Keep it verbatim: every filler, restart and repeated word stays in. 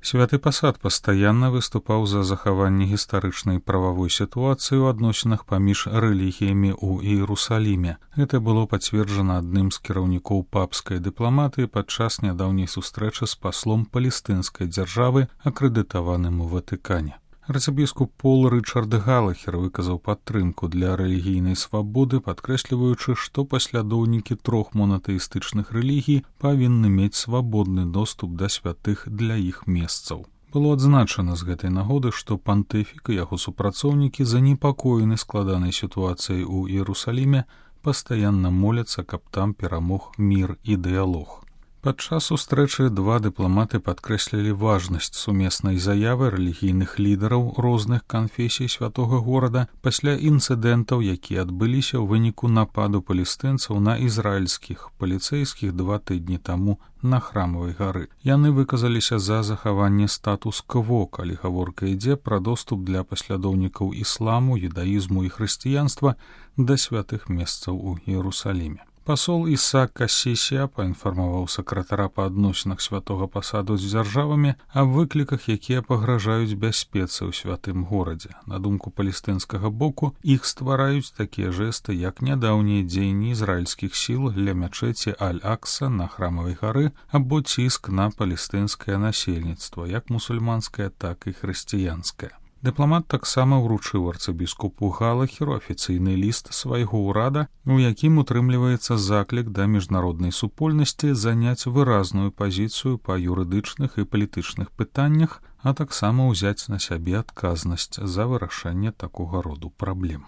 Святы пасад пастаянна выступаў за захаванне гістарычнай прававой сітуацыі ў адносінах паміж рэлігіямі ў Іерусаліме. Гэта было пацверджана адным з кіраўнікоў папскай дыпламатыі падчас нядаўняй сустрэчы з паслом палестынскай дзяржавы, акрэдытаваным у Ватыкане. Арцыбіскуп Пол Рычард Галахер выказаў падтрымку для рэлігійнай свабоды, падкрэсліваючы, што паслядоўнікі трох монатэістычных рэлігій павінны мець свабодны доступ да святых для іх месцаў. Было адзначана з гэтай нагоды, што пантыфік і яго супрацоўнікі занепакоены складанай сітуацыяй у Іерусаліме, пастаянна моляцца, каб там перамог мір і дыялог. Падчас сустрэчы два дыпламаты падкрэслілі важнасць сумеснай заявы рэлігійных лідараў розных канфесій святога горада пасля інцыдэнтаў, якія адбыліся ў выніку нападу палестынцаў на ізраільскіх паліцэйскіх два тыдні таму на Храмавай гары. Яны выказаліся за захаванне статус-кво, калі гаворка ідзе пра доступ для паслядоўнікаў ісламу, юдаізму і хрысціянства да святых месцаў у Іерусаліме. Пасол Ісаак Кассісія паінфармаваў сакратара па адносінах святога пасаду з дзяржавамі аб выкліках, якія пагражаюць бяспецы ў святым горадзе. На думку палестынскага боку, іх ствараюць такія жэсты, як нядаўнія дзеянні ізраільскіх сіл ля мячэці Аль-Акса на Храмавай гары або ціск на палестынскае насельніцтва, як мусульманскае, так і хрысціянскае. Дыпламат таксама ўручыў арцыбіскупу Галахеру афіцыйны ліст свайго ўрада, у якім утрымліваецца заклік да міжнароднай супольнасці заняць выразную пазіцыю па юрыдычных і палітычных пытаннях, а таксама ўзяць на сябе адказнасць за вырашэнне такога роду праблем.